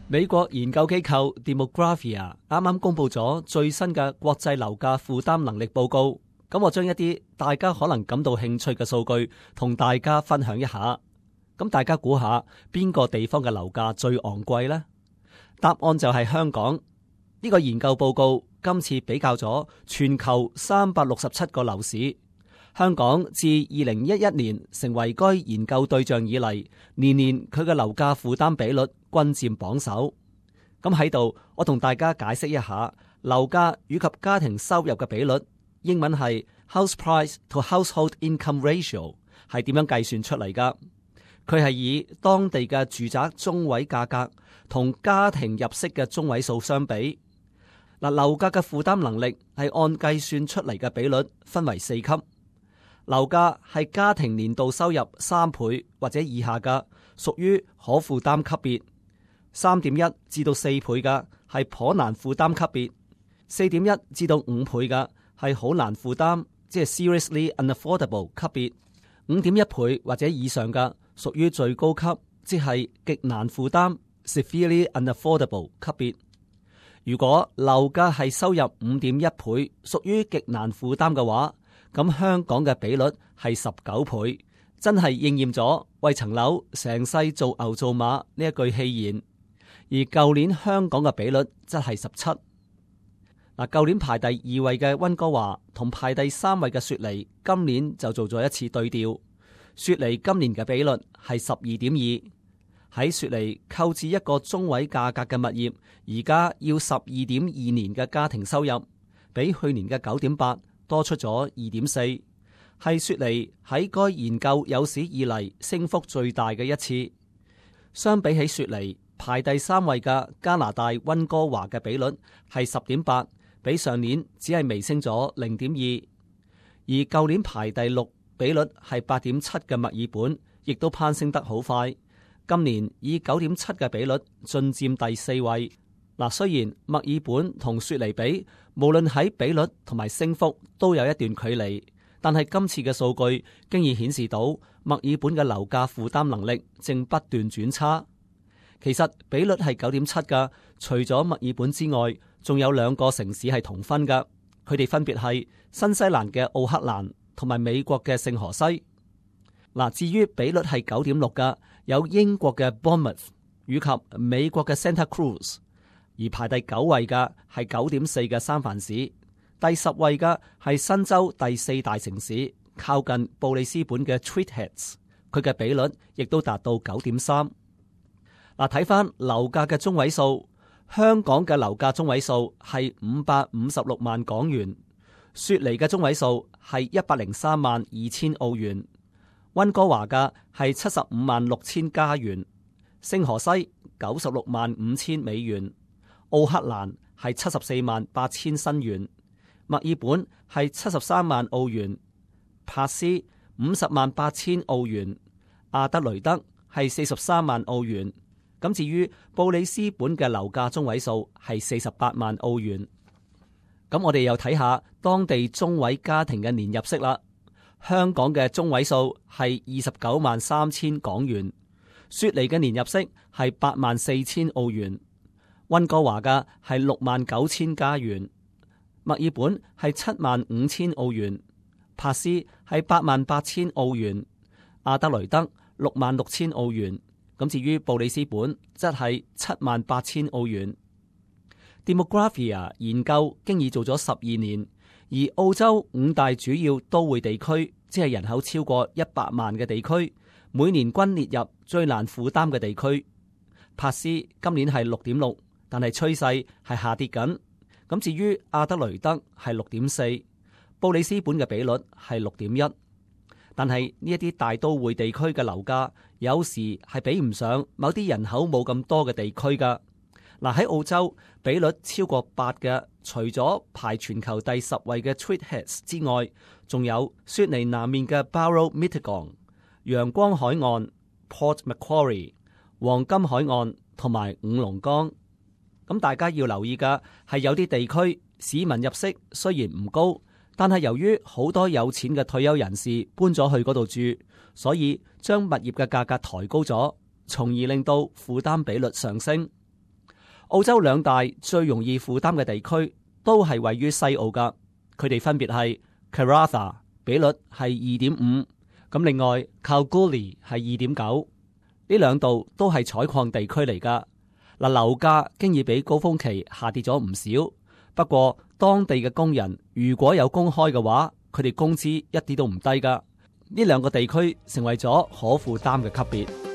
美國研究機構 Demographia 啱啱公布咗最新嘅國際樓價負擔能力報告，咁我將一啲大家可能感到興趣嘅數據同大家分享一下。咁大家估下邊個地方嘅樓價最昂貴呢？答案就係香港。呢個研究報告今次比較咗全球367個樓市，香港自2011年成為該研究對象以嚟，年年佢嘅樓價負擔比率均佔榜首。咁喺度，我同大家解釋一下樓價以及家庭收入嘅比率，英文係 House Price to Household Income Ratio， 係點樣計算出嚟㗎？佢係以當地嘅住宅中位價格同家庭入息嘅中位數相比。嗱，樓價嘅負擔能力係按計算出嚟嘅比率分為4級。樓價係家庭年度收入3倍或者以下嘅，屬於可負擔級別；3.1至到4倍嘅係頗難負擔級別；4.1至到5倍嘅係好難負擔，即係 seriously unaffordable 級別；5.1倍或者以上嘅屬於最高級，即係極難負擔 severely unaffordable 級別。如果樓價係收入5.1倍，屬於極難負擔嘅話，咁香港嘅比率係19倍，真係應驗咗為層樓成世做牛做馬呢一句戲言。而舊年香港嘅比率則係17。嗱，舊年排第2位嘅溫哥華同排第3位嘅雪梨，今年就做咗一次對調。雪梨今年嘅比率係12.2，喺雪梨購置一個中位價格嘅物業，而家要12.2年嘅家庭收入，比去年嘅9.8多出咗2.4，係雪梨喺該研究有史以嚟升幅最大嘅一次。相比起雪梨，排第3位嘅加拿大溫哥華嘅比率係10.8，比上年只係微升咗0.2。而舊年排第6，比率係8.7嘅墨爾本，亦都攀升得好快。今年以9.7嘅比率進佔第4位。嗱，雖然墨爾本同雪梨比，無論喺比率同埋升幅都有一段距離，但係今次嘅數據經已顯示到墨爾本嘅樓價負擔能力正不斷轉差。其實比率係9.7㗎，除咗墨爾本之外，仲有2個城市係同分㗎，佢哋分別係新西蘭嘅奧克蘭同埋美國嘅聖荷西。嗱，至於比率係9.6㗎，有英國嘅 Bournemouth 以及美國嘅 Santa Cruz。而排第9位嘅係9.4嘅三藩市，第10位嘅係新州第4大城市，靠近布里斯本嘅 Tweed Heads， 佢嘅比率亦都達到9.3。嗱，睇翻樓價嘅中位數，香港嘅樓價中位數係556萬港元，雪梨嘅中位數係103萬2千澳元，溫哥華嘅係75萬6千加元，聖荷西96萬5千美元。奧克蘭係74萬8千新元，墨爾本係73萬澳元，珀斯50萬8千澳元，阿德雷德係43萬澳元。咁至於布里斯本嘅樓價中位數係48萬澳元。咁我哋又睇下當地中位家庭嘅年入息啦。香港嘅中位數係29萬3千港元，雪梨嘅年入息係8萬4千澳元。溫哥華嘅係6萬9千加元，墨爾本係7萬5千澳元，珀斯係8萬8千澳元，阿德雷德6萬6千澳元。咁至於布里斯本則係7萬8千澳元。Demographia 研究經已做咗12年，而澳洲5大主要都會地區，即係人口超過100萬嘅地區，每年均列入最難負擔嘅地區。珀斯今年係6.6。但係趨勢係下跌緊。咁至於阿德雷德係6.4，布里斯本嘅比率係6.1。但係呢一啲大都會地區嘅樓價有時係比唔上某啲人口冇咁多嘅地區㗎。嗱，喺澳洲比率超過8嘅，除咗排全球第10位嘅 Tweed Heads 之外，仲有雪梨南面嘅 Barrow Mittagong、陽光海岸 Port Macquarie、黃金海岸同埋五龍崗。咁大家要留意嘅係有啲地區市民入息雖然唔高，但係由於好多有錢嘅退休人士搬咗去嗰度住，所以將物業嘅價格抬高咗，從而令到負擔比率上升。澳洲兩大最容易負擔嘅地區都係位於西澳噶，佢哋分別係 Karratha 比率係2.5，咁另外 Kalgoorlie 係2.9，呢兩度都係採礦地區嚟噶。嗱，樓價經已比高峰期下跌咗唔少，不過當地嘅工人如果有工開嘅話，佢哋工資一啲都唔低噶。呢兩個地區成為咗可負擔嘅級別。